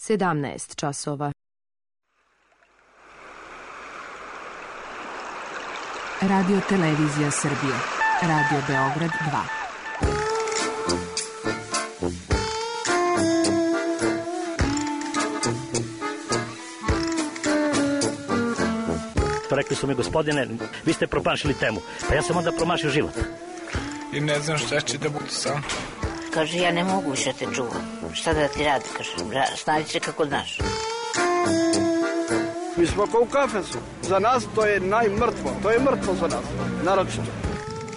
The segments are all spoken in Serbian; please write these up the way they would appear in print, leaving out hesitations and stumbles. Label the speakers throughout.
Speaker 1: 17 časova.
Speaker 2: Radio Televizija Srbije. Radio Beograd 2.
Speaker 3: Rekli su mi, gospodine, vi ste promašili temu. Pa ja sam onda promašio život.
Speaker 4: I ne znam šta će da bude sam.
Speaker 5: Kaže, ja ne mogu više te čuvam. Šta da ti radi, kaže, snaći se kako znaš.
Speaker 6: Mi smo kao u kafesu. Za nas to je najmrtvo. To je mrtvo za nas, naročito.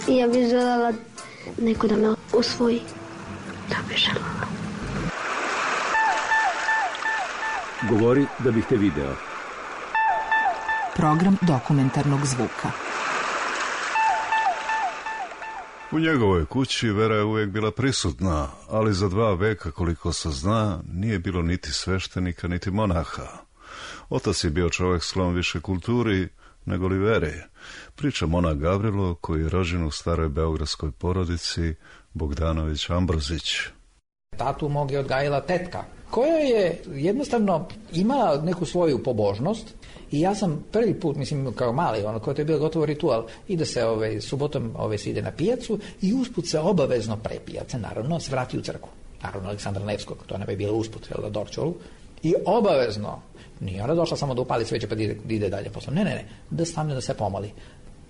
Speaker 7: Ja bih željela neko da me usvoji. Da bih željela.
Speaker 8: Govori da bih te video.
Speaker 2: Program dokumentarnog zvuka.
Speaker 9: U njegovoj kući vera je uvijek bila prisutna, ali za 2 veka, koliko se zna, nije bilo niti sveštenika, niti monaha. Otac je bio čovjek sklon više kulturi nego li veri. Priča monah Gavrilo, koji je rođen u staroj beogradskoj porodici Bogdanović Ambrozić.
Speaker 10: Tatu mog je odgajila tetka, koja je jednostavno imala neku svoju pobožnost i ja sam prvi put, mislim kao mali, koji to je bio gotovo ritual, ide se subotom se ide na pijacu i usput se obavezno pre pijace, naravno, se vrati u crkvu. Naravno, Aleksandra Nevskog, to ne bi bilo usput, na Dorčolu. I obavezno, nije ona došla samo da upali sveće pa da ide dalje posle. Ne, da stavlja da se pomoli.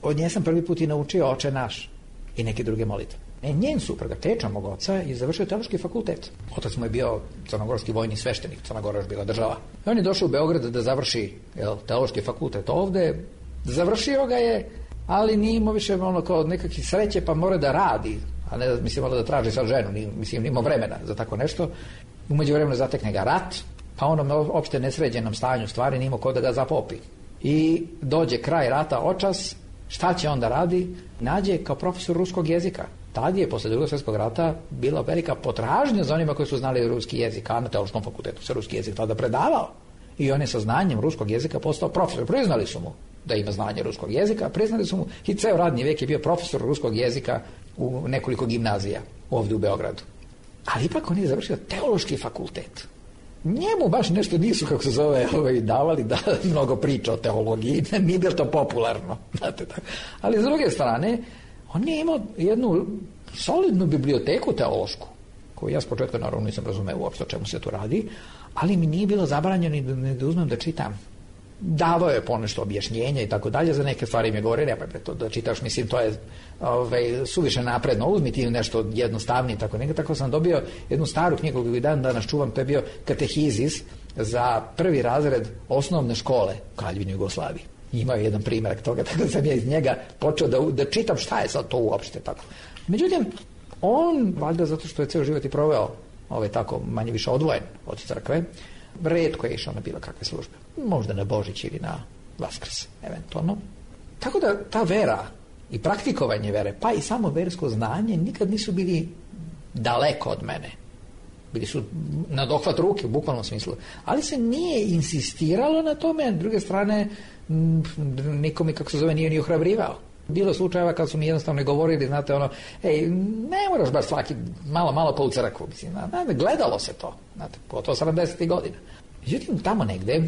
Speaker 10: Od nje sam prvi put i naučio Oče naš i neke druge molitve. Njen suprug, teča mog oca, je završio teološki fakultet. Otac mu je bio crnogorski vojni sveštenik, Crna Gora još bila država. I on je došao u Beograd da završi teološki fakultet ovde. Završio ga je, ali nije imao više kao nekakvih sreće, pa mora da radi, a ne mora da traži sad ženu, nije imao vremena za tako nešto. U međuvremenu zatekne ga rat, pa onom opšte nesređenom stanju stvari nije imao ko da ga zapopi. I dođe kraj rata očas, šta će onda radi? Nađe kao profesor ruskog jezika. Tad je, posle Drugog svjetskog rata, bila velika potražnja za onima koji su znali ruski jezik, a na teološkom fakultetu se ruski jezik tada predavao. I on je sa znanjem ruskog jezika postao profesor. Priznali su mu da ima znanje ruskog jezika, priznali su mu i ceo radni vijek je bio profesor ruskog jezika u nekoliko gimnazija ovdje u Beogradu. Ali ipak on je završio teološki fakultet. Njemu baš nešto nisu, kako se zove, davali da mnogo priča o teologiji, nije bilo to popularno. Znate, tako. Ali s druge strane, on je imao jednu solidnu biblioteku teološku, koju ja s početka naravno nisam razumeo uopšte o čemu se tu radi, ali mi nije bilo zabranjeno ni da uzmem da čitam. Davao je ponešto objašnjenja i tako dalje, za neke stvari mi je govorio, to da čitaš, mislim, to je suviše napredno, uzmi ti nešto jednostavnije, tako sam dobio jednu staru knjigu koju dan danas čuvam, to je bio katehizis za 1. razred osnovne škole u Kraljevini Jugoslaviji. Imao je jedan primjerak toga, tako da sam ja iz njega počeo da čitam šta je sad to uopšte tako. Međutim, on, valjda zato što je ceo život i proveo tako manje više odvojen od crkve, retko je išao na bilo kakve službe. Možda na Božić ili na Vaskrs, eventualno. Tako da ta vera i praktikovanje vere, pa i samo versko znanje, nikad nisu bili daleko od mene. Bili su na dohvat ruke, u bukvalnom smislu. Ali se nije insistiralo na tome, a s druge strane, niko mi, kako se zove, nije ni ohrabrivao. Bilo slučajeva kad su mi jednostavno govorili, znate, ne moraš baš svaki malo pa u crkvu, mislim, gledalo se to, znate, gotovo 70. godina. Međutim, tamo negde,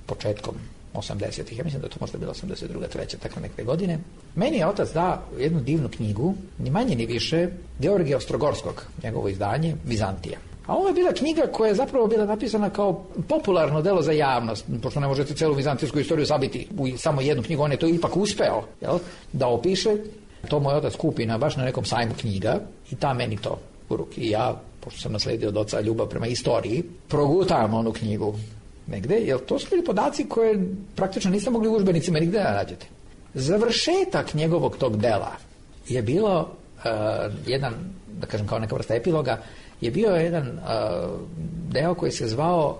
Speaker 10: početkom 80-ih, ja mislim da to možda bilo 82. 3. tako neke godine, meni je otac dao jednu divnu knjigu, ni manje ni više, Georgija Ostrogorskog, njegovo izdanje, Vizantija. A ovo je bila knjiga koja je zapravo bila napisana kao popularno delo za javnost, pošto ne možete celu vizantijsku istoriju sabiti u samo jednu knjigu, on je to ipak uspeo, da opiše. To moj otac kupi baš na nekom sajmu knjiga i ta meni to u ruki. I ja, pošto sam nasledio od oca ljubav prema istoriji, progutam onu knjigu negde, jer to su bili podaci koje praktično niste mogli u udžbenicima nigde da nađete. Završetak njegovog tog dela je bilo jedan, da kažem kao neka vrsta epiloga, je bio jedan deo koji se zvao,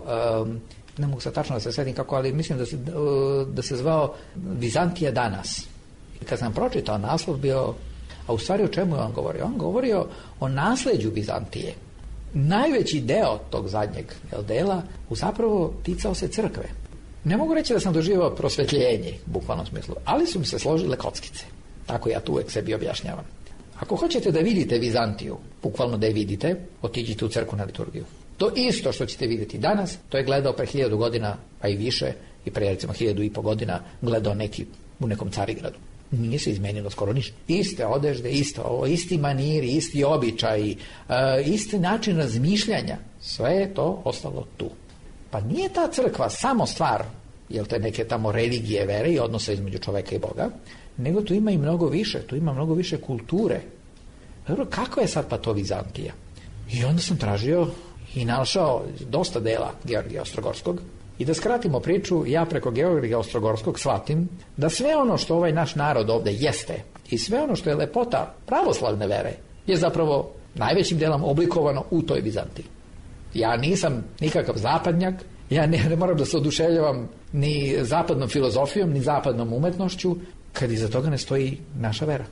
Speaker 10: ne mogu sad tačno da se setim kako, ali mislim da se zvao Vizantija danas. I kad sam pročitao naslov bio, a u stvari o čemu je on govorio? On govorio o nasleđu Vizantije. Najveći deo tog zadnjeg dela zapravo ticao se crkve. Ne mogu reći da sam doživao prosvetljenje, u bukvalnom smislu, ali su mi se složile kockice. Tako ja tu uvek sebi objašnjavam. Ako hoćete da vidite Vizantiju, bukvalno da je vidite, otiđite u crkvu na liturgiju. To isto što ćete vidjeti danas, to je gledao pre 1000 godina, pa i više, i pre recimo 1500 godina gledao neki u nekom Carigradu. Nije se izmenilo skoro ništa. Iste odežde, isti maniri, isti običaji, isti način razmišljanja. Sve je to ostalo tu. Pa nije ta crkva samo stvar, jel te neke tamo religije, vere i odnose između čoveka i Boga, nego tu ima i mnogo više, tu ima mnogo više kulture. Dobro, kako je sad pa to Vizantija? I onda sam tražio i našao dosta dela Georgija Ostrogorskog. I da skratimo priču, ja preko Georgija Ostrogorskog shvatim da sve ono što ovaj naš narod ovde jeste i sve ono što je lepota pravoslavne vere je zapravo najvećim delom oblikovano u toj Vizantiji. Ja nisam nikakav zapadnjak, ja ne moram da se oduševljavam ni zapadnom filozofijom, ni zapadnom umetnošću, kad iza toga ne stoji naša vera.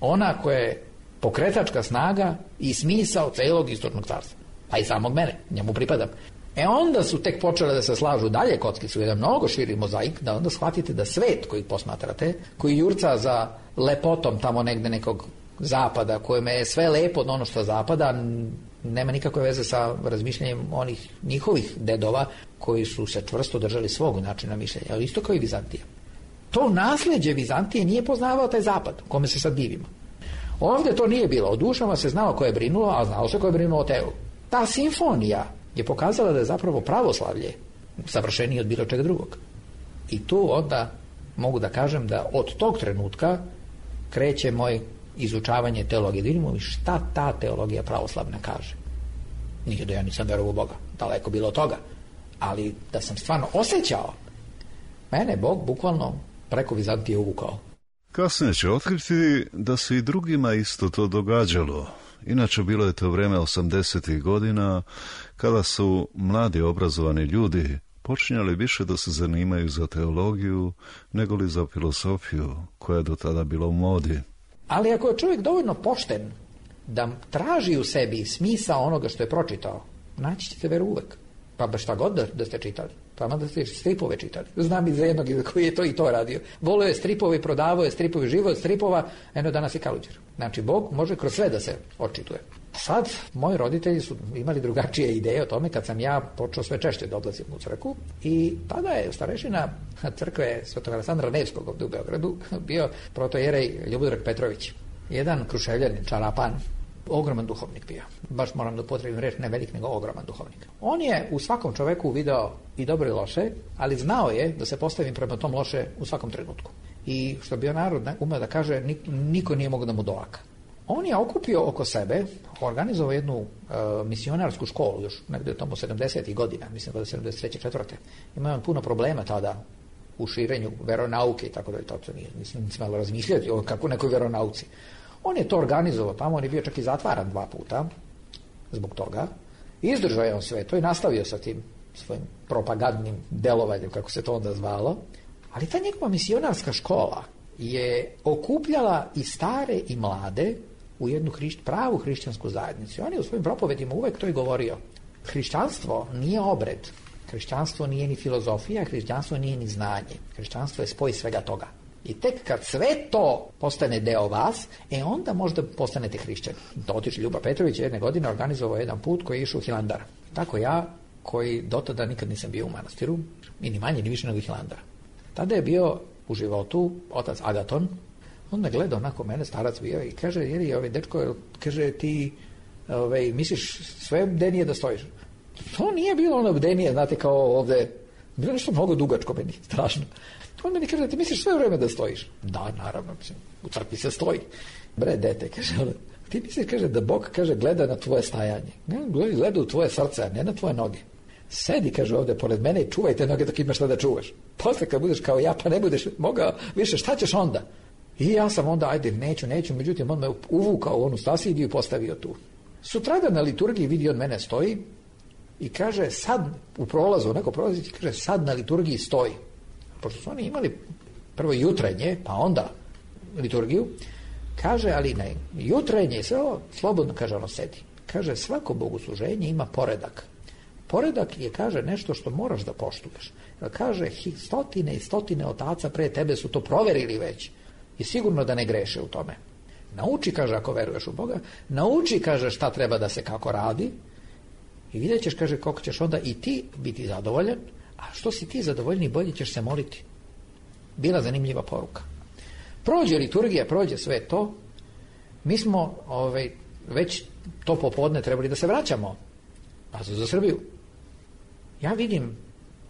Speaker 10: Ona koja je pokretačka snaga i smisao celog istočnog carstva, pa i samog mene, njemu pripadam. Onda su tek počele da se slažu dalje kockice u jedan mnogo širi mozaik, da onda shvatite da svet koji posmatrate, koji jurca za lepotom tamo negde nekog zapada, kojima je sve lepo od ono što zapada, nema nikakve veze sa razmišljanjem onih njihovih dedova koji su se čvrsto držali svog načina mišljenja, ali isto kao i Vizantija. To nasleđe Vizantije nije poznavao taj zapad, kome se sad divimo. Ovdje to nije bilo. O dušama se znalo ko je brinulo, a znalo se ko je brinulo o telu. Ta simfonija je pokazala da je zapravo pravoslavlje savršenije od bilo čega drugog. I tu onda mogu da kažem da od tog trenutka kreće moj izučavanje teologije. Da vidimo šta ta teologija pravoslavna kaže. Nije da ja nisam verovao u Boga, daleko bilo od toga. Ali da sam stvarno osjećao, mene Bog bukvalno preko Vizantije uvukao.
Speaker 9: Kasnije će otkriti da se i drugima isto to događalo. Inače, bilo je to vreme 80. godina kada su mladi obrazovani ljudi počinjali više da se zanimaju za teologiju nego li za filozofiju koja je do tada bila u modi.
Speaker 10: Ali ako je čovjek dovoljno pošten da traži u sebi smisao onoga što je pročitao, naći ćete veru uvek. Pa baš šta god da ste čitali. Pa da ste stripove čitali. Znam iz jednog koji je to i to radio. Volio je stripove, prodavao je stripove, živo od stripova, eno danas je kaluđer. Znači, Bog može kroz sve da se očituje. Sad, moji roditelji su imali drugačije ideje o tome kad sam ja počeo sve češće da odlazim u crkvu i tada je starešina crkve Svetog Aleksandra Nevskog ovdje u Beogradu bio protojerej Ljubodrag Petrović. Jedan Kruševljanin, čarapan, ogroman duhovnik bio. Baš moram da upotrebim reč, ne velik, nego ogroman duhovnik. On je u svakom čoveku video i dobro i loše, ali znao je da se postavim prema tom loše u svakom trenutku. I što bi on narod umeo da kaže, niko nije mogao da mu dolaka. On je okupio oko sebe, organizovao jednu misionarsku školu, još negdje tamo 70. godina, mislim da je 73. 4. Imao puno problema tada u širenju veronauke i tako da je to nisam smelo razmišljati o kako nekoj veronauci. On je to organizovao tamo, on je bio čak i zatvaran 2 puta zbog toga. Izdržao je on sve to i nastavio sa tim svojim propagandnim delovanjem, kako se to onda zvalo. Ali ta njegova misionarska škola je okupljala i stare i mlade u jednu pravu hrišćansku zajednicu. On je u svojim propovedima uvek to i govorio. Hrišćanstvo nije obred, hrišćanstvo nije ni filozofija, hrišćanstvo nije ni znanje. Hrišćanstvo je spoj svega toga. I tek kad sve to postane deo vas, onda možda postanete hrišćani. Otišli Ljuba Petrović jedne godine organizovao jedan put koji je išao u Hilandar. Tako ja, koji do tada nikad nisam bio u manastiru, i ni manje ni više nego Hilandara. Tada je bio u životu otac Agaton, on me gleda onako mene, starac bio, i kaže, jeri, dečko, kaže, ti misliš sve bdenije da stojiš? To nije bilo ono bdenije, znate, kao ovde, bilo nešto mnogo dugačko meni, strašno. On meni kaže, ti misliš sve vreme da stojiš? Da, naravno, mislim, u crkvi se stoji. Bre, dete, kaže, ti misliš, kaže, da Bog, kaže, gleda na tvoje stajanje. Gleda u tvoje srce, a ne na tvoje noge. Sedi, kaže, ovde pored mene i čuvaj te noge dok imaš šta da čuvaš. Posle kad budeš kao ja, pa ne budeš mogao više, šta ćeš onda? I ja sam onda, ajde, neću, međutim, on me uvukao u onu stasidiju i postavio tu. Sutradan na liturgiji vidi on mene stoji i kaže, sad u prolazu, onako prolazi, kaže, sad na liturgiji stoji. Pošto su oni imali prvo jutrenje, pa onda liturgiju, kaže, ali ne, jutrenje, sve ovo, slobodno, kaže, ono sedi. Kaže, svako bogosluženje ima poredak. Poredak je, kaže, nešto što moraš da poštuješ. Kaže, stotine i stotine otaca pre tebe su to proverili već i sigurno da ne greše u tome. Nauči, kaže, ako veruješ u Boga, nauči, kaže, šta treba da se kako radi I vidjet ćeš, kaže, koliko ćeš onda i ti biti zadovoljan, a što si ti zadovoljni, bolje ćeš se moliti. Bila zanimljiva poruka. Prođe liturgija, prođe sve to, mi smo već to popodne trebali da se vraćamo za Srbiju. Ja vidim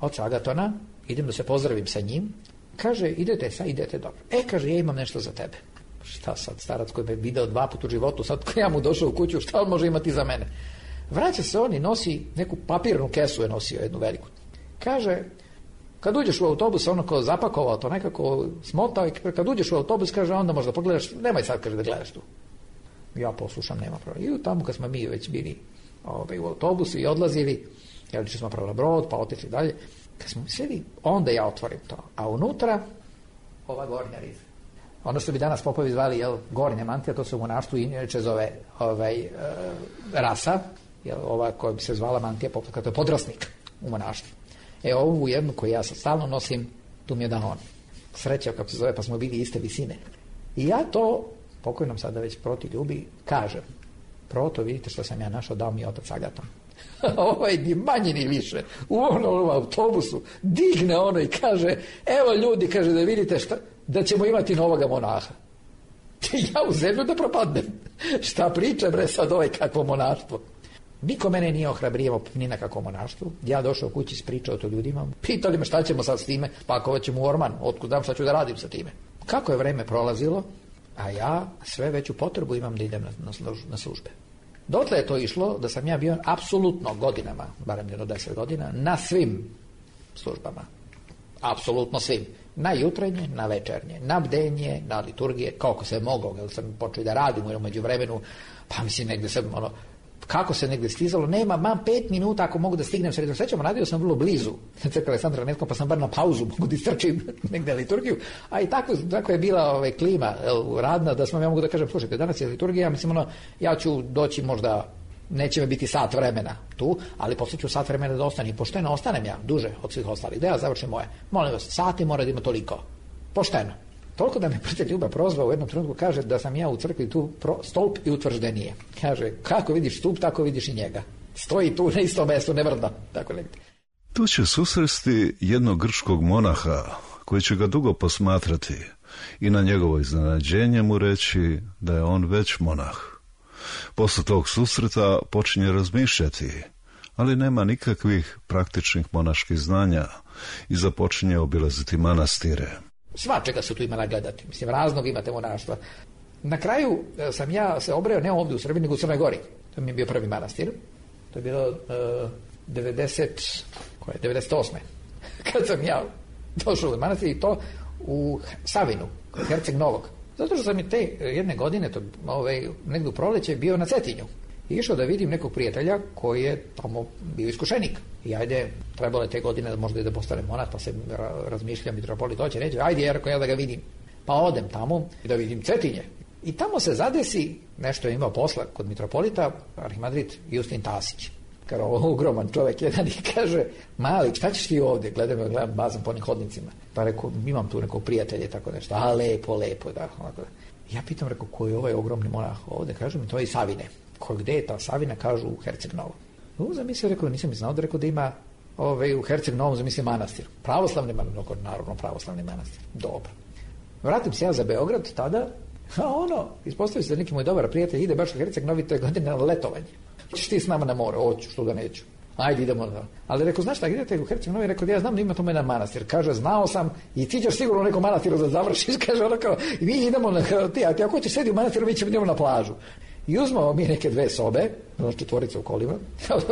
Speaker 10: oca Agatona, idem da se pozdravim sa njim, kaže, idete dobro. Kaže, ja imam nešto za tebe. Šta sad, starac koji me video 2 puta u životu, sad kad ja mu došao u kuću, šta on može imati za mene? Vraća se on i nosi neku papirnu kesu, je nosio jednu veliku. Kaže, kad uđeš u autobus, ono ko zapakovao to nekako smotao, i kad uđeš u autobus, kaže, onda možda pogledaš, nemoj sad, kaže, da gledaš tu. Ja poslušam, nema problema. I tamo kad smo mi već bili u autobusu i odlazili, jer smo pravili brod, pa otišli dalje, kad smo mislili, onda ja otvorim to. A unutra, ova gornja riza. Ono što bi danas popovi zvali, gornja mantija, to se u monaštvu inače zove rasa, ova koja bi se zvala mantija popa, to je podrasnik u monaštvu. Ovu jednu koju ja sad stalno nosim, tu mi je dao on. Sreća, kako se zove, pa smo bili iste visine. I ja to, pokojnom sada već proti ljubi, kažem, proto vidite što sam ja našao, dao mi je otac Agaton. Ni manje ni više, u onom autobusu digne ono i kaže, evo ljudi, kaže, da vidite da ćemo imati novoga monaha. Ja u zemlju da propadnem. Šta priča, bre, sad kakvo monaštvo. Niko mene nije ohrabrijemo ni na kakvo monaštvo. Ja došao kući, ispričao to ljudima. Pitali me šta ćemo sad s time, pakovat ćemo u orman, otkud znam šta ću da radim sa time. Kako je vreme prolazilo, a ja sve veću potrebu imam da idem na službe. Dotle je to išlo da sam ja bio apsolutno godinama, barem jedno 10 godina, na svim službama. Apsolutno svim. Na jutrenje, na večernje, na bdenje, na liturgije, kako se moglo, jer sam počeo da radim u međuvremenu, pa mislim negde sam, kako se negde stizalo, mam 5 minuta ako mogu da stignem sredom srećom, radio sam vrlo blizu crkve Aleksandra Nevskog, pa sam bar na pauzu mogu da istrčim negde liturgiju, a i tako je bila klima radna, da ja mogu da kažem, slušajte, danas je liturgija, mislim, ja ću doći možda, neće me biti sat vremena tu, ali posle ću sat vremena da ostanem, pošteno ostanem ja duže od svih ostalih, da ja završim moje, molim vas, sati mora da ima toliko, pošteno. Toliko da me prijatelj Ljuba prozvao u jednom trenutku, kaže da sam ja u crkvi tu stolp i utvrđenije. Kaže, kako vidiš stup, tako vidiš i njega. Stoji tu na istom mjestu, ne vrda. Tako negdje.
Speaker 9: Tu će susresti jednog grčkog monaha koji će ga dugo posmatrati i na njegovo iznenađenje mu reći da je on već monah. Posle tog susreta počinje razmišljati, ali nema nikakvih praktičnih monaških znanja i započinje obilaziti manastire.
Speaker 10: Svačega su tu imala gledati. Mislim, raznog imate monaštva. Na kraju sam ja se obreo ne ovdje u Srbiji, nego u Crnoj Gori. To mi je bio prvi manastir. To je bilo 98. Kad sam ja došao u manastir i to u Savinu, Herceg Novog. Zato što sam i te jedne godine, negdje u proleće, bio na Cetinju. I išao da vidim nekog prijatelja koji je tamo bio iskušenik. I ajde, trebalo je te godine da možda i da postane monah, pa se razmišljam, mitropolit hoće, neće, ajde, ja da ga vidim. Pa odem tamo i da vidim Cetinje. I tamo se zadesi, nešto je imao posla kod mitropolita, arhimandrit Justin Tasić. Kao ogroman čovjek jedan i kaže, mali, šta ćeš ti ovdje? Gledam bazam po onim hodnicima. Pa rekao, imam tu nekog prijatelja i tako nešto. A lepo, da. Onako. Ja pitam, rekao, ko je ovaj ogromni monah ovdje? Kaže mi, to je iz Savine. Gde je ta Savina? Kažu u Herceg Novom. Zamislio, rekao, nisam znao da rekao da ima u Herceg Novom, zamislio manastir. Pravoslavni manastir, naravno pravoslavni manastir. Dobro. Vratim se ja za Beograd tada, a ispostavi se da neki moj dobar prijatelj ide baš u Herceg Novi, to je godine na letovanje. Hoćeš ti s nama na more? Hoću, što da neću. Ajde, idemo. Ali rekao, znaš šta, idete u Herceg Novi? Rekao, ja znam da ima tamo jedan manastir. Kaže, znao sam i ti ćeš sigurno u nekom manastiru da završiš. Kaže, i mi idemo, ti ako hoćeš sedi u manastiru, mi ćemo idemo na plažu. I uzmao mi neke 2 sobe, 4 u kolima,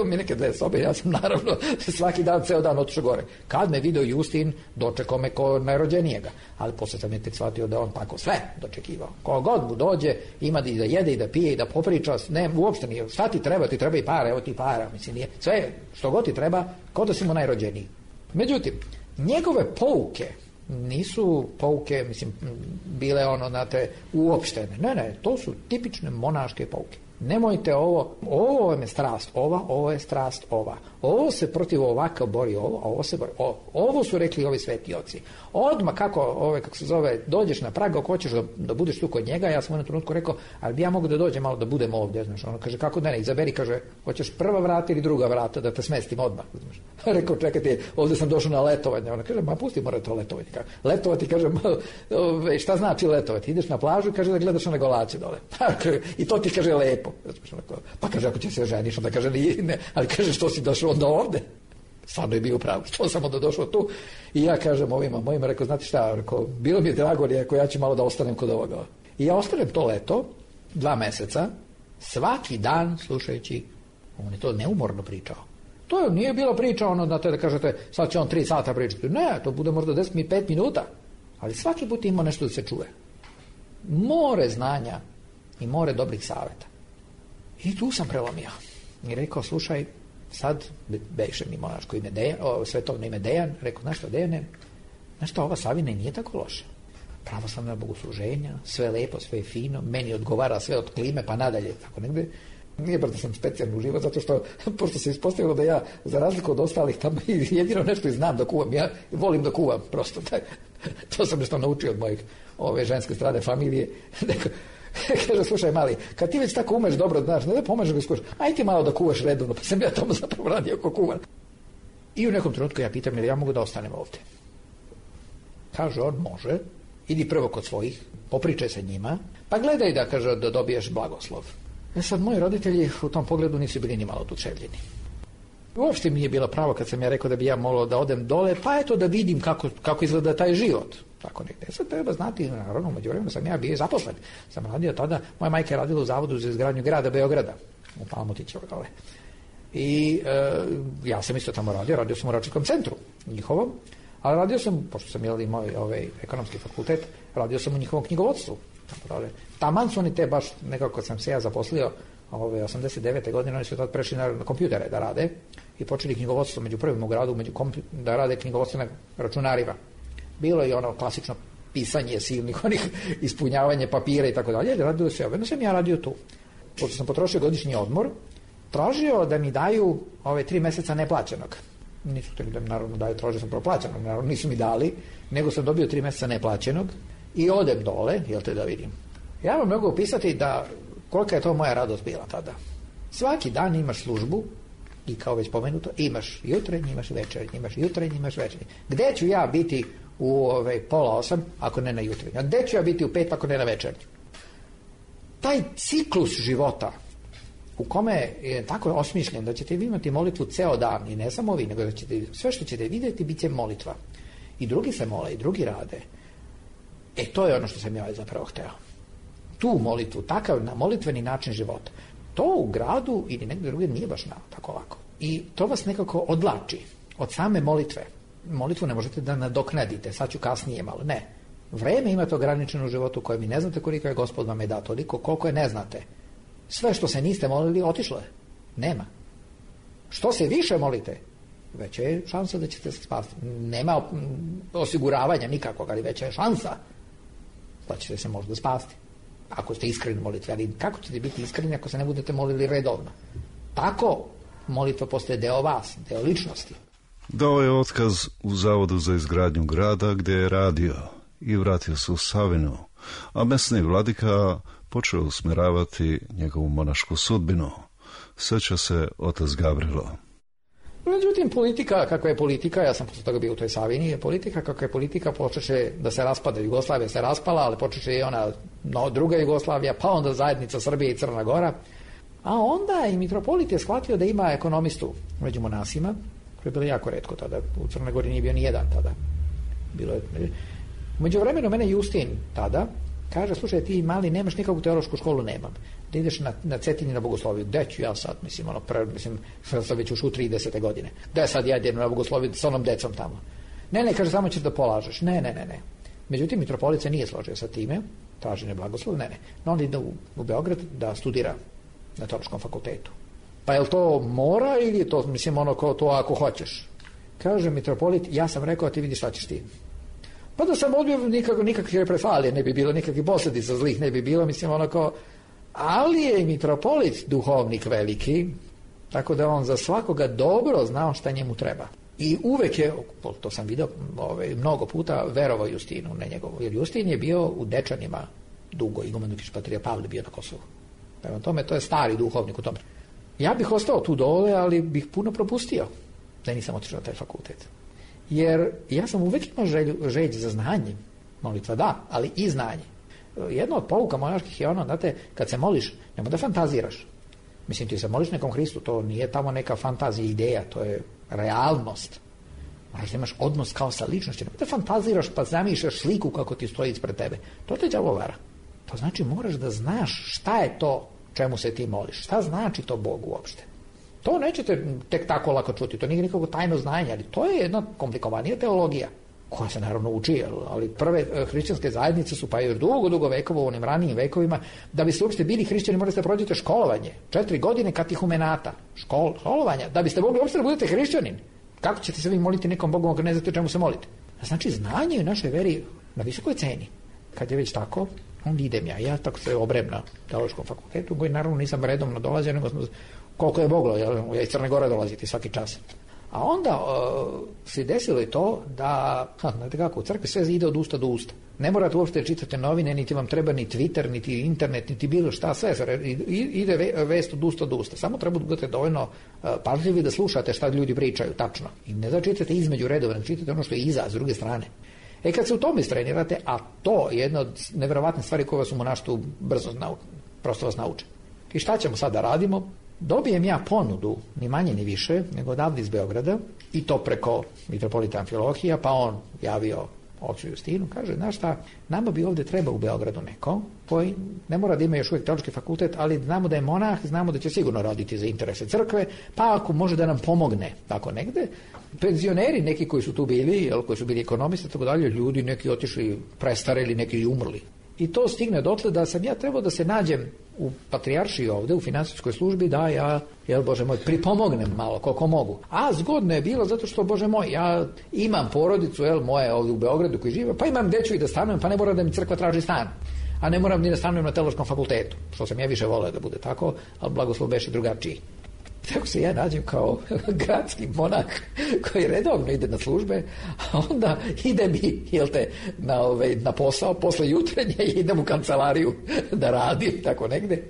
Speaker 10: mi neke 2 sobe, ja sam naravno svaki dan, ceo dan otišao gore. Kad me video Justin, dočekao me ko najrođenijega, ali posle sam je tek shvatio da on tako sve dočekivao. Ko god mu dođe, ima i da jede i da pije i da popriča, ne, uopšte nije, šta ti treba i para, evo ti para, mislim nije, sve što god ti treba, ko da si mu najrođeniji. Međutim, njegove pouke nisu pouke, mislim, bile znate, uopštene. Ne, to su tipične monaške pouke. Nemojte ovo vam je strast ova, ovo je strast ova. Ovo se protiv ovaka bori ovo, a ovo se bori ovo su rekli ovi sveti oci. Odmah kako se zove, dođeš na prag, ako hoćeš da budeš tu kod njega, ja sam u jednom trenutku rekao, ali bi ja mogu da dođem malo da budem ovdje, znaš, ono kaže, kako da ne, izaberi, kaže, hoćeš prva vrata ili druga vrata, da te smestim odmah, znaš. Rekao, čekajte, ovdje sam došao na letovanje, ona kaže, ma pusti, mora to letovati. Letovati, kaže, šta znači letovati? Ideš na plažu i kaže da gledaš one golače dole. I to ti kaže lepo. Pa kaže, ako će se ženiš, onda kaže, ne, ali kaže, što si došao onda ovde? Stvarno je bio pravo, što sam onda došao tu. I ja kažem ovima mojima, rekao, znate šta, rekao, bilo mi je drago, rekao, ja ću malo da ostanem kod ovoga. I ja ostanem to leto, 2 meseca, svaki dan slušajući, on je to neumorno pričao. To nije bila priča ono da kažete, sad će on 3 sata pričati. Ne, to bude možda 5 minuta. Ali svaki put ima nešto da se čuje. More znanja i more dobrih savjeta. I tu sam prelomio. I rekao, slušaj, sad beše mi monaško ime Dejan, svetovno ime Dejan, rekao, znaš šta, Dejane, znaš šta, ova Savina nije tako loša. Pravoslavna bogosluženja, sve lepo, sve je fino, meni odgovara sve od klime pa nadalje, tako negde. Nije baš da sam specijalno uživo, zato što, pošto se ispostavilo da ja, za razliku od ostalih, tamo jedino nešto i znam da kuvam, ja volim da kuvam, prosto, to sam nešto naučio od mojih ženske strane familije. Kaže, slušaj mali, kad ti već tako umeš dobro, znaš, ne da pomažeš da skuvaš, aj ti malo da kuvaš redovno, pa sam ja tamo zapravo radio ako kuvam. I u nekom trenutku ja pitam, jel ja mogu da ostanem ovdje? Kaže, on može, idi prvo kod svojih, popričaj sa njima, pa gledaj da, kaže, da dobiješ blagoslov. Sad, moji roditelji u tom pogledu nisu bili ni malo oduševljeni. Uopšte mi je bilo pravo kad sam ja rekao da bi ja mogao da odem dole, pa eto da vidim kako izgleda taj život. Tako negdje. Sad treba znati, naravno, u međuvremenu sam ja bio zaposlen. Sam radio tada, moja majka je radila u Zavodu za izgradnju grada Beograda, u Palmotićevoj dole. I ja sam isto tamo radio sam u Račarskom centru njihovom, ali radio sam, pošto sam imao ekonomski fakultet, radio sam u njihovom knjigovodstvu. Taman su oni te baš, nekako sam se ja zaposlio 89. godine, oni su tad prešli na kompjutere da rade i počeli knjigovodstvo među prvim u gradu da rade knjigovodstvo na računarima. Bilo je ono klasično pisanje silnih onih, ispunjavanje papira i tako dalje, radilo se jedno sam ja radio tu. Pošto sam potrošio godišnji odmor, tražio da mi daju 3 meseca neplaćenog. Nisu htjeli da mi naravno daju, tražio sam proplaćenog, naravno nisu mi dali, nego sam dobio 3 meseca neplaćenog i odem dole, jel te da vidim. Ja vam mogu opisati da kolika je to moja radost bila tada. Svaki dan imaš službu i kao već pomenuto, imaš jutrenji, imaš večernji, imaš jutrenji, imaš večernji. Gde ću ja biti u 7:30 ako ne na jutrenji? A gde ću ja biti u 5 ako ne na večernji? Taj ciklus života u kome je tako osmišljen da ćete vi imati molitvu ceo dan i ne samo vi, nego da ćete, sve što ćete vidjeti bit će molitva. I drugi se mole, i drugi rade. To je ono što sam ja zapravo hteo. Tu molitvu, takav molitveni način života. To u gradu ili negdje drugdje nije baš tako lako. I to vas nekako odlači od same molitve. Molitvu ne možete da nadoknadite, sad ću kasnije malo. Ne. Vreme imate ograničeno u životu koje vi ne znate koliko je Gospod vam je dao, toliko koliko je ne znate. Sve što se niste molili, otišlo je. Nema. Što se više molite, veća je šansa da ćete se spasti. Nema osiguravanja nikakvog, ali veća je šansa da ćete se možda spasti. Ako ste iskreni molitvi, ali kako ćete biti iskreni ako se ne budete molili redovno? Tako molitva postaje deo vas, deo ličnosti.
Speaker 9: Dao je otkaz u Zavodu za izgradnju grada gdje je radio i vratio se u Savinu, a mesni vladika počeo usmjeravati njegovu monašku sudbinu. Sjeća se otac Gavrilo.
Speaker 10: Međutim, politika, kakva je politika, ja sam posle toga bio u toj Savini, politika kakva je politika, počeše da se raspada. Jugoslavija se raspala, ali počeše i ona druga Jugoslavija, pa onda zajednica Srbije i Crna Gora. A onda i mitropolit je shvatio da ima ekonomistu među monasima, koji je bilo jako retko tada. U Crnoj Gori nije bio ni jedan tada. Bilo je. U međuvremenu mene Justin tada kaže, slušaj, ti mali nemaš nikakvu teološku školu, nemam. Da ideš na Cetinju na bogosloviju. Gde ću ja sad? Sad već ušu 30. godine. Gde sad ja idem na bogosloviju sa onom decom tamo? Ne, kaže, samo ćeš da polažeš. Ne. Međutim, mitropolit se nije složio sa time, traženje blagoslov, ne. No, on ide u Beograd da studira na teološkom fakultetu. Pa je li to mora ili je to, to ako hoćeš? Kaže mitropolit, ja sam rekao, a ti vidiš šta ćeš ti. Pa da sam odbio nikakve represalije ne bi bilo, nikakvih posljedica zlih ne bi bilo, Ali je i mitropolit duhovnik veliki, tako da on za svakoga dobro znao šta njemu treba. I uvek je, to sam vidio mnogo puta, verovao Justinu, ne njegovu. Jer Justin je bio u Dečanima dugo, iguman dok je patrija Pavle bio na Kosovu. Prema tome, to je stari duhovnik u tome. Ja bih ostao tu dole, ali bih puno propustio da nisam otišao na taj fakultet. Jer ja sam uvek imao želju za znanje. Molitva da, ali i znanje. Jedna od pouka monaških je ono, znate, kad se moliš, nemoj da fantaziraš. Mislim, ti se moliš nekom Hristu, to nije tamo neka fantazija, ideja, to je realnost. Moraš da imaš odnos kao sa ličnošću. Nemoj da fantaziraš pa zamišljaš sliku kako ti stoji ispred tebe. To te đavo vara. To znači moraš da znaš šta je to čemu se ti moliš. Šta znači to Bogu uopšte? To nećete tek tako lako čuti, to nije nikako tajno znanje, ali to je jedna komplikovanija teologija, koja se naravno uči, ali prve hrišćanske zajednice su pa još dugo vekova u onim ranijim vekovima, da biste uopšte bili hrišćani morate da prođete školovanje, 4 godine katehumenata, školovanja, da biste mogli uopšte da budete hrišćanin. Kako ćete se vi moliti nekom Bogom ako ne znate čemu se molite? Znači, znanje u našoj veri na visokoj ceni. Kad je već tako, onda idem ja tako se obrem na teološkom fakultetu, koji naravno nisam redovno dolazio, nego koliko je moglo, ja iz Crne Gore dolaziti svaki čas. A onda se desilo i to da, znate kako, u crkvi sve ide od usta do usta. Ne morate uopšte čitati novine, niti vam treba ni Twitter, niti internet, niti bilo šta, sve ide vest od usta do usta. Samo treba da budete dovoljno pažljivi da slušate šta ljudi pričaju, tačno. I ne da čitate između redova, ne čitate ono što je iza, s druge strane. Kad se u tome istrenirate, a to je jedna od neverovatnih stvari koje vas u monaštvu brzo prosto vas nauče. I šta ćemo sad da radimo? Dobijem ja ponudu, ni manje ni više, nego odavde iz Beograda, i to preko mitropolita Amfilohija, pa on javio ocu Justinu, kaže, znaš šta, nama bi ovde treba u Beogradu neko, koji ne mora da ima još uvijek teološki fakultet, ali znamo da je monah, znamo da će sigurno raditi za interese crkve, pa ako može da nam pomogne, tako negde. Penzioneri, neki koji su tu bili, koji su bili ekonomisti, tako dalje, ljudi neki otišli prestareli, neki umrli. I to stigne dotle da sam ja trebao da se nađem u patrijaršiji ovde, u finansijskoj službi, da ja, Bože moj, pripomognem malo koliko mogu. A zgodno je bilo zato što, Bože moj, ja imam porodicu, moje ovde u Beogradu koji žive, pa imam gde ću i da stanujem, pa ne moram da mi crkva traži stan. A ne moram ni da stanujem na teološkom fakultetu, što sam ja više voleo da bude tako, ali blagoslov beše drugačiji. Tako se ja nađem kao gradski monah koji redovno ide na službe, a onda ide mi, na posao posle jutrenja i idem u kancelariju da radim, tako negde.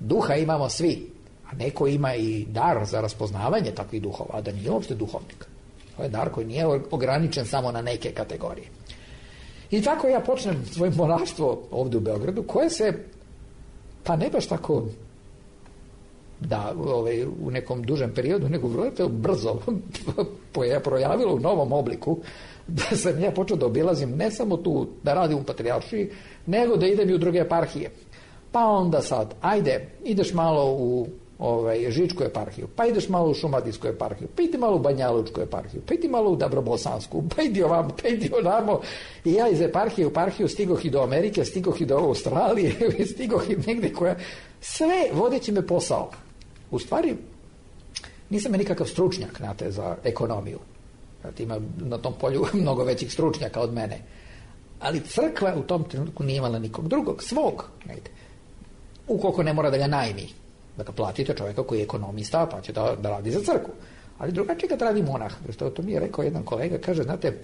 Speaker 10: Duha imamo svi, a neko ima i dar za raspoznavanje takvih duhova, a da nije uopšte duhovnik. To je dar koji nije ograničen samo na neke kategorije. I tako ja počnem svoje monaštvo ovde u Beogradu, koje se, pa ne baš tako da u nekom dužem periodu, nego vrlo brzo projavilo u novom obliku, da sam ja počeo da obilazim ne samo tu da radim u patrijaršiji, nego da idem i u druge eparhije. Pa onda sad, ajde, ideš malo u Žičku eparhiju, pa ideš malo u Šumadijsku eparhiju, pa idi malo u Banjalučku eparhiju, pa idi malo u Dabrobosansku, pa idi ovamo, pa idi onamo. I ja iz eparhije u eparhiju stigoh i do Amerike, stigoh i do Australije, stigoh i negde koja, sve vodeći me posao. U stvari, nisam je nikakav stručnjak, znate, za ekonomiju. Ima na tom polju mnogo većih stručnjaka od mene. Ali crkva u tom trenutku nije imala nikog drugog, svog. Ukoliko ne mora da ga najmi, da ga platite čovjeka koji je ekonomista, pa će da radi za crkvu. Ali drugačije kad radi monah. To mi je rekao jedan kolega, kaže, znate,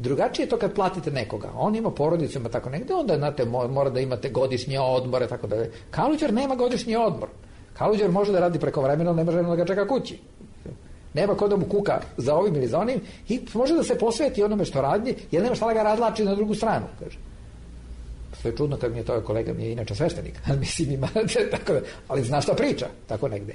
Speaker 10: drugačije je to kad platite nekoga. On ima porodicu, ima tako negde, onda, znate, mora da imate godišnje odmore, tako da. Kaluđer nema godišnji odmor. Kaluđer može da radi prekovremeno, ali ne može da ga čeka kući. Nema ko da mu kuka za ovim ili za onim i može da se posveti onome što radi, jer nema šta da ga razlači na drugu stranu, kaže. To je čudno kad mi je to kolega, mi je inače sveštenik, ali mislim ima, tako da, ali zna šta priča, tako negde.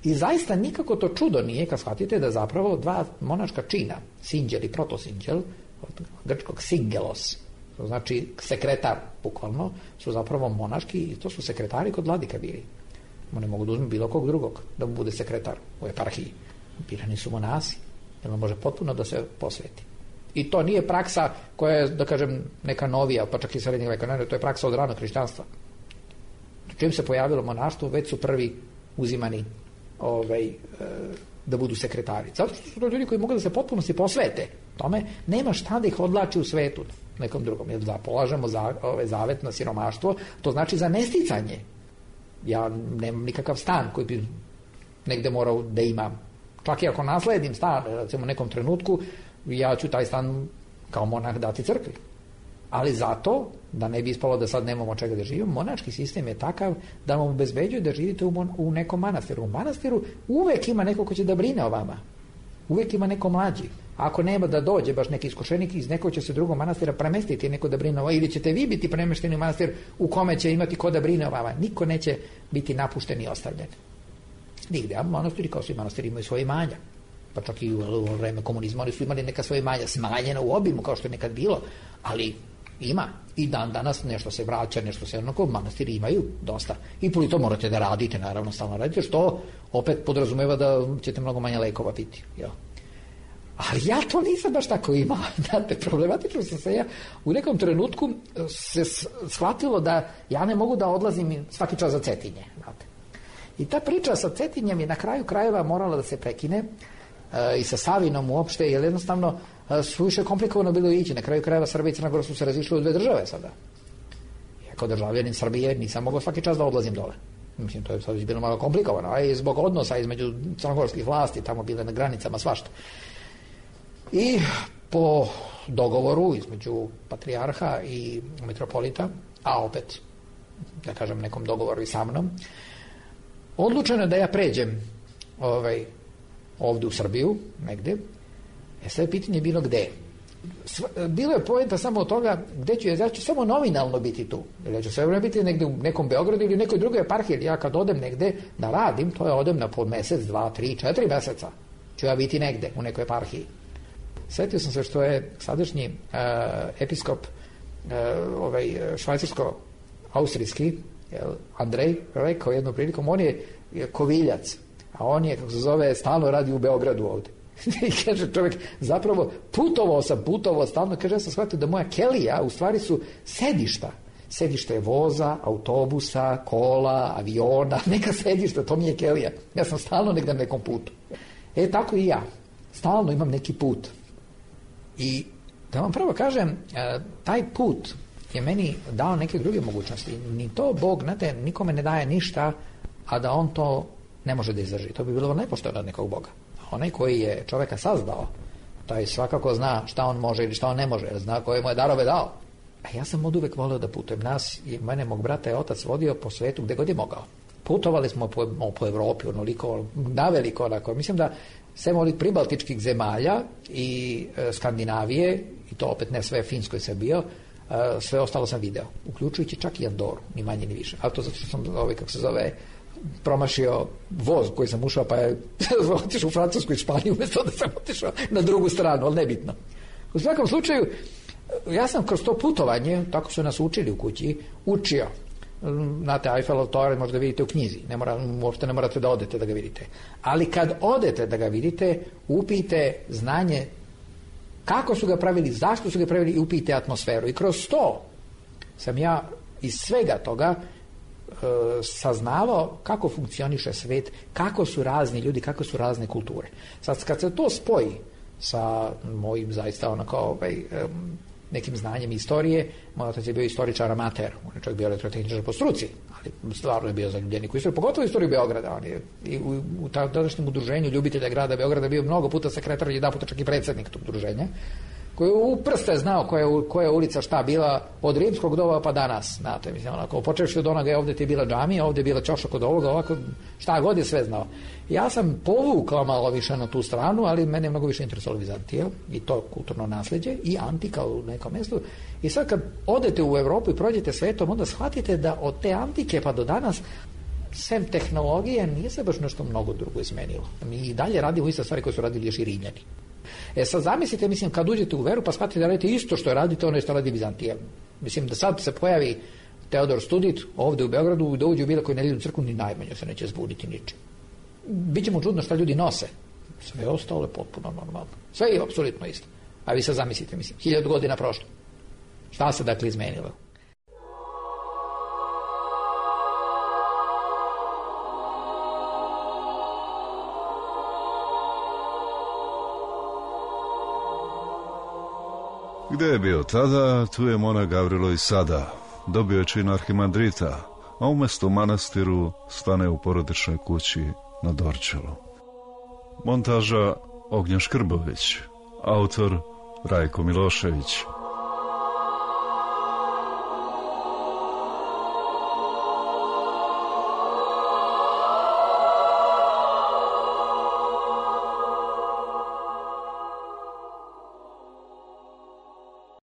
Speaker 10: I zaista nikako to čudo nije kad shvatite da zapravo dva monaška čina, sinđel i protosinđel, od grčkog singelos, to znači sekretar, bukvalno, su zapravo monaški i to su sekretari kod vladika bili. Ne mogu da uzme bilo kog drugog da mu bude sekretar u eparhiji. Birani su monasi, jer on može potpuno da se posveti. I to nije praksa koja je, da kažem, neka novija, pa čak i srednjeg veka, to je praksa od ranog hrišćanstva. Čim se pojavilo monaštvo, već su prvi uzimani da budu sekretari. Zato što su to ljudi koji mogu da se potpunosti posvete tome, nema šta da ih odlači u svetu nekom drugom. Jer da polažemo zavet na siromaštvo, to znači za nesticanje. Ja nemam nikakav stan koji bi negde morao da imam. Čak i ako nasledim stan, recimo u nekom trenutku, ja ću taj stan kao monah dati crkvi. Ali zato, da ne bi ispalo da sad nemamo čega da živimo, monački sistem je takav da vam obezbeđuje da živite u nekom manastiru. U manastiru uvek ima neko ko će da brine o vama. Uvek ima neko mlađi. Ako nema da dođe baš neki iskušenik, iz nekog će se drugog manastira premestiti neko da brine o vama, ili ćete vi biti premešteni u manastir u kome će imati ko da brine o vama. Niko neće biti napušten i ostavljen. Nigde. A manastiri, kao svi manastiri, imaju svoje imanja. Pa čak i u vreme komunizma oni su imali neka svoje imanja smanjena u obimu, kao što je nekad bilo, ali ima. I dan danas nešto se vraća, nešto se onako, manastiri imaju dosta. I to morate da radite, naravno, stalno radite, što opet podrazumeva da ćete mnogo manje lekova piti. Jo. Ali ja to nisam baš tako imao. Znate, problematično sam se ja u nekom trenutku se shvatilo da ja ne mogu da odlazim svaki čas za Cetinje. Znate. I ta priča sa Cetinjem je na kraju krajeva morala da se prekine i sa Savinom uopšte, jer jednostavno suviše komplikovano bilo ići. Na kraju krajeva Srbija i Crna Gora su se razišli u dve države sada. Ja kao državljanin Srbije nisam mogao svaki čas da odlazim dole. Mislim, to je sad bilo malo komplikovano, a i zbog odnosa između crnogorskih vlasti, tamo bile na granicama svašta. I po dogovoru između patrijarha i metropolita, a opet, da kažem, nekom dogovoru i sa mnom, odlučeno je da ja pređem ovde u Srbiju, negde. Sve pitanje je bilo gde. Bilo je poenta samo od toga gde ću ja ću samo nominalno biti tu. Ja ću sve vreme biti negde u nekom Beogradu ili nekoj drugoj eparhiji. Ja kad odem negde da radim, to je odem na po mesec, 2, 3, 4 meseca. Ću ja biti negde u nekoj eparhiji. Sjetio sam se što je sadašnji episkop švajcarsko-austrijski Andrej rekao jednom prilikom, on je koviljac, a on je, kako se zove, stalno radi u Beogradu ovde. I kaže čovjek, zapravo putovao stalno, kaže, ja sam shvatio da moja kelija u stvari su sedišta. Sedište je voza, autobusa, kola, aviona, neka sedišta, to mi je kelija. Ja sam stalno negdje na nekom putu. Tako i ja. Stalno imam neki put. I da vam prvo kažem, taj put je meni dao neke druge mogućnosti. Ni to Bog, znate, nikome ne daje ništa, a da on to ne može da izdrži. To bi bilo nepošteno od nekog Boga. Onaj koji je čoveka sazdao, taj svakako zna šta on može ili šta on ne može, zna koje mu je darove dao. A ja sam od uvek volio da putujem. Nas i mene, mog brata je otac vodio po svetu gde god je mogao. Putovali smo po Evropi, onoliko, naveliko, onako. Mislim da sem ovih pribaltičkih zemalja i Skandinavije, i to opet ne sve, Finsko je sve bio, sve ostalo sam video, uključujući čak i Andoru, ni manje ni više. Ali to zato što sam, kako se zove, promašio voz koji sam ušao, pa je otišao u Francusku i Španiju umjesto da sam otišao na drugu stranu, ali nebitno. U svakom slučaju, ja sam kroz to putovanje, tako su nas učili u kući, učio. Znate, Eiffelov toranj možda vidite u knjizi, uopšte ne morate da odete da ga vidite. Ali kad odete da ga vidite, upijte znanje kako su ga pravili, zašto su ga pravili i upijte atmosferu. I kroz to sam ja iz svega toga saznavao kako funkcioniše svet, kako su razni ljudi, kako su razne kulture. Sad, kad se to spoji sa mojim zaista onako nekim znanjem istorije, moj otac je bio istoričar amater, on je čak bio elektrotehničar po struci, ali stvarno je bio zaljubljenik u istoriju, pogotovo istoriju Beograda. On je i u tadašnjem udruženju ljubitelja grada Beograda bio mnogo puta sekretar, jedan puta čak i predsjednik tog udruženja, koji u prste znao koja je ulica šta bila od rimskog doba pa danas. Znate, mislim, onako, počevši od onoga, ovdje ti je bila džamija, ovdje je bila ćoša kod ovoga, ovako, šta god je sve znao. Ja sam povukao malo više na tu stranu, ali mene je mnogo više interesovalo Vizantija i to kulturno nasljeđe i antika u nekom mjestu. I sad kad odete u Europu i prođete svetom, onda shvatite da od te antike pa do danas, sem tehnologije, nije se baš nešto mnogo drugo izmenilo. Mi i dalje radimo iste stvari koje su radili još i Rimljani. Sad zamislite, mislim, kad uđete u veru pa shvatite da radite isto što je radite ono što radi Vizantija. Mislim da sad se pojavi Teodor Studit ovde u Beogradu, da uđe u bilo koju nedeljnu crkvu, ni najmanje se neće zbuniti ničim. Biće mu čudno šta ljudi nose. Sve ostalo je potpuno normalno. Sve je apsolutno isto. A vi sad zamislite, mislim, 1000 godina prošlo. Šta se dakle izmenilo?
Speaker 9: Gde je bio tada, tu je monah Gavrilo i sada. Dobio je čin arhimandrita, a umjesto u manastiru stane u porodičnoj kući na Dorćolu. Montaža Ognjen Škrbović, autor Rajko Milošević.